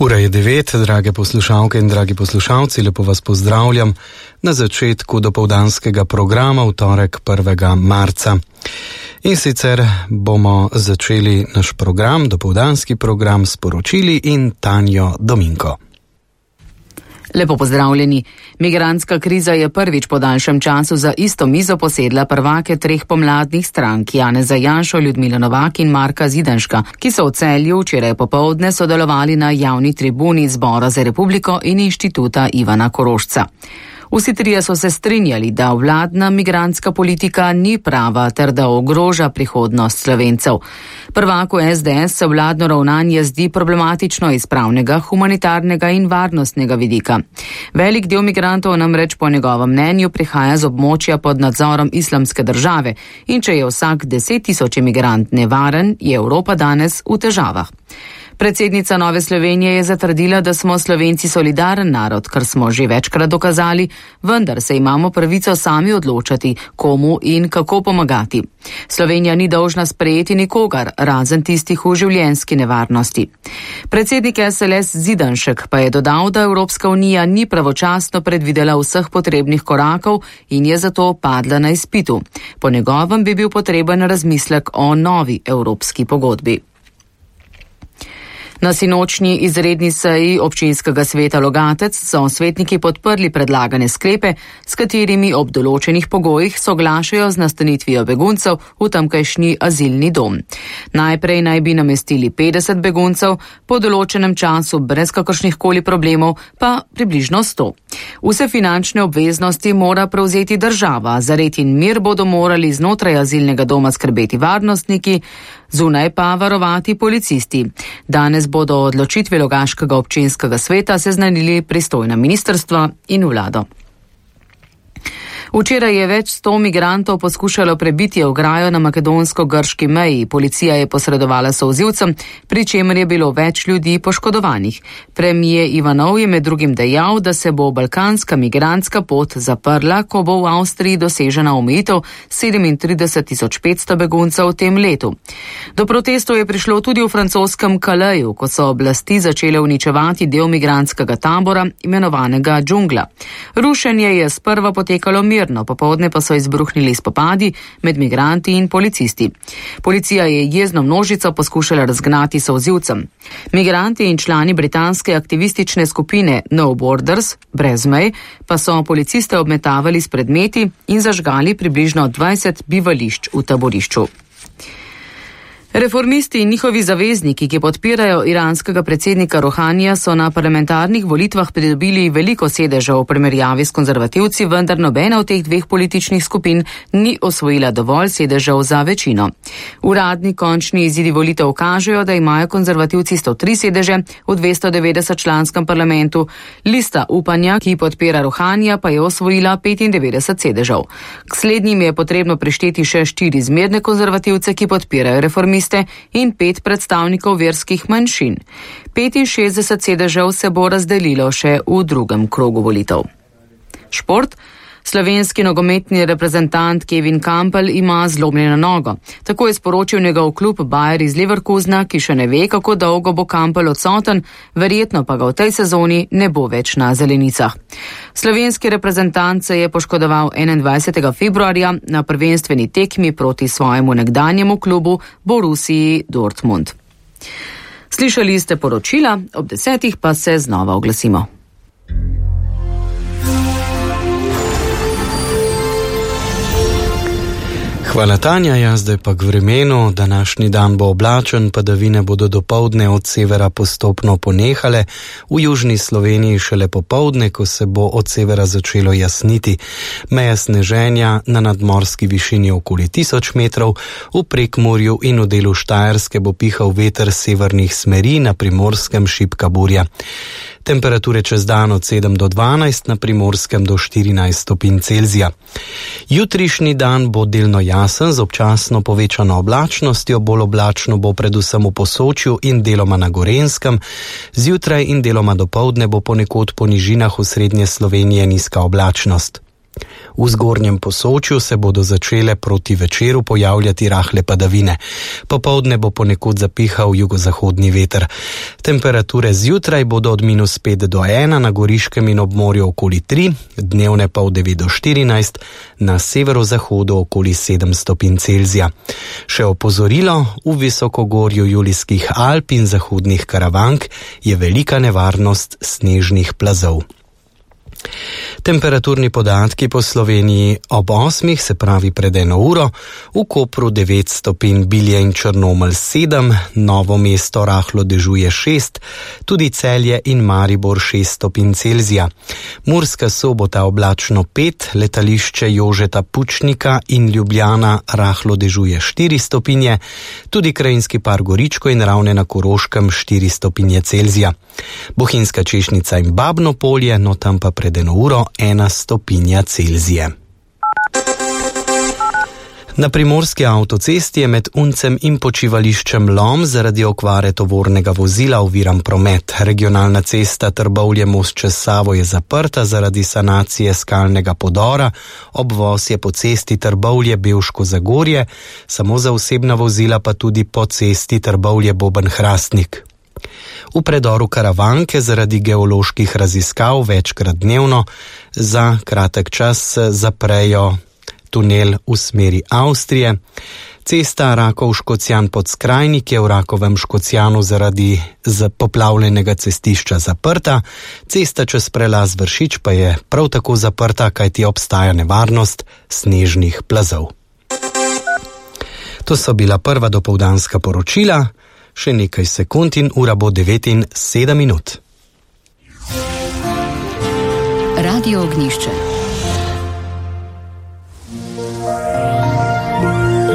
Ura je 9, drage poslušalke in dragi poslušalci, lepo vas pozdravljam na začetku dopoldanskega programa v torek 1. marca. In sicer bomo začeli naš program, dopoldanski program, s poročili in Tanjo Dominko. Lepo pozdravljeni. Migrantska kriza je prvič po daljšem času za isto mizo posedla prvake treh pomladnih strank, Janeza Janšo, Ljudmilo Novak in Marka Zidanška, ki so v Celju včeraj popoldne sodelovali na javni tribuni Zbora za republiko in Inštituta Ivana Korošca. Vsi trije so se strinjali, da vladna migrantska politika ni prava ter da ogroža prihodnost Slovencev. Prvaku SDS se vladno ravnanje zdi problematično iz pravnega, humanitarnega in varnostnega vidika. Velik del migrantov namreč po njegovem mnenju prihaja z območja pod nadzorom Islamske države in če je vsak 10.000 imigrant nevaren, je Evropa danes v težavah. Predsednica Nove Slovenije je zatrdila, da smo Slovenci solidaren narod, kar smo že večkrat dokazali, vendar se imamo pravico sami odločati, komu in kako pomagati. Slovenija ni dolžna sprejeti nikogar, razen tistih v življenjski nevarnosti. Predsednik SLS Zidanšek pa je dodal, da Evropska unija ni pravočasno predvidela vseh potrebnih korakov in je zato padla na izpitu. Po njegovem bi bil potreben razmislek o novi evropski pogodbi. Na sinočnji izredni seji občinskega sveta Logatec so svetniki podprli predlagane sklepe, s katerimi ob določenih pogojih soglašajo z nastanitvijo beguncev v tamkajšnji azilni dom. Najprej naj bi namestili 50 beguncev, po določenem času brez kakršnihkoli problemov pa približno 100. Vse finančne obveznosti mora prevzeti država, za red in mir bodo morali znotraj azilnega doma skrbeti varnostniki, zunaj pa varovati policisti. Danes bodo o odločitvi Logaškega občinskega sveta seznanili pristojna ministrstva in vlado. Včeraj je več 100 migrantov poskušalo prebiti ograjo na makedonsko-grški meji. Policija je posredovala solzivcem, pri čemer je bilo več ljudi poškodovanih. Premijer Ivanov je med drugim dejal, da se bo balkanska migrantska pot zaprla, ko bo v Avstriji dosežena omejitev 37.500 beguncev v tem letu. Do protestov je prišlo tudi v francoskem Calaisu, ko so oblasti začele uničevati del migrantskega tabora, imenovanega Džungla. Rušenje je sprva potekalo mirno, popoldne pa so izbruhnili spopadi med migranti in policisti. Policija je jezno množico poskušala razgnati solzivcem. Migranti in člani britanske aktivistične skupine No Borders, brez mej, pa so policiste obmetavali s predmeti in zažgali približno 20 bivališč v taborišču. Reformisti in njihovi zavezniki, ki podpirajo iranskega predsednika Rohanija, so na parlamentarnih volitvah pridobili veliko sedežev v primerjavi s konzervativci, vendar nobena od teh dveh političnih skupin ni osvojila dovolj sedežev za večino. Uradni končni izidi volitev kažejo, da imajo konzervativci 103 sedeže v 290-članskem parlamentu, lista upanja, ki podpira Rohanija, pa je osvojila 95 sedežev. K slednjim je potrebno prišteti še 4 zmerne konzervativce, ki podpirajo reformiste, in 5 predstavnikov verskih manjšin. 65 sedežev se bo razdelilo še v drugem krogu volitev. Šport. Slovenski nogometni reprezentant Kevin Kampl ima zlomljeno nogo. Tako je sporočil njegov klub Bayer iz Leverkusena, ki še ne ve, kako dolgo bo Kampl odsoten, verjetno pa ga v tej sezoni ne bo več na zelenicah. Slovenski reprezentant se je poškodoval 21. februarja na prvenstveni tekmi proti svojemu nekdanjemu klubu Borussiji Dortmund. Slišali ste poročila, ob 10. pa se znova oglasimo. Hvala Tanja, zdaj pa k vremenu. Današnji dan bo oblačen, padavine bodo dopoldne od severa postopno ponehale, v južni Sloveniji šele popoldne, ko se bo od severa začelo jasniti. Meja sneženja na nadmorski višini okoli 1000 metrov, v Prekmurju in v delu Štajerske bo pihal veter severnih smeri, na Primorskem šibka burja. Temperature čez dan od 7 do 12, na Primorskem do 14 stopinj Celzija. Jutrišnji dan bo delno jasen z občasno povečano oblačnostjo, bolj oblačno bo predvsem v Posočju in deloma na Gorenjskem. Zjutraj in deloma dopoldne bo ponekod po nižinah v srednje Slovenije nizka oblačnost. V zgornjem Posočju se bodo začele proti večeru pojavljati rahle padavine. Popoldne bo ponekod zapihal jugozahodni veter. Temperature zjutraj bodo od -5 do 1, na Goriškem in ob morju okoli 3, dnevne pa od 9 do 14, na severozahodu okoli 7 stopinj Celzija. Še opozorilo, v visokogorju Julijskih Alp in zahodnih Karavank je velika nevarnost snežnih plazov. Temperaturni podatki po Sloveniji ob 8, se pravi pred 1 uro, v Kopru 9 stopinj, Bilje in Črnomelj 7, Novo mesto rahlo dežuje 6, tudi Celje in Maribor 6 stopinj Celzija. Murska Sobota oblačno 5, letališče Jožeta Pučnika in Ljubljana rahlo dežuje 4 stopinje, tudi Krajinski par Goričko in Ravne na Koroškem 4 stopinje Celzija. Bohinjska Češnica in Babno Polje, no tam pa pred 1 uro 1 stopinja Celzije. Na primorski avtocesti je med Uncem in počivališčem Lom zaradi okvare tovornega vozila oviran promet. Regionalna cesta Trbovlje-Most čez Savo je zaprta zaradi sanacije skalnega podora, obvoz je po cesti Trbovlje-Bevško Zagorje, samo za osebna vozila pa tudi po cesti Trbovlje-Boben-Hrastnik. V predoru Karavanke zaradi geoloških raziskav večkrat dnevno za kratek čas zaprejo tunel v smeri Avstrije. Cesta Rakov-Škocjan pod Skrajnik je v Rakovem Škocjanu zaradi poplavljenega cestišča zaprta, cesta čez prelaz Vršič pa je prav tako zaprta, kajti obstaja nevarnost snežnih plazov. To so bila prva dopoldanska poročila. Še nekaj sekund in ura bo 9:07. Radio Ognjišče.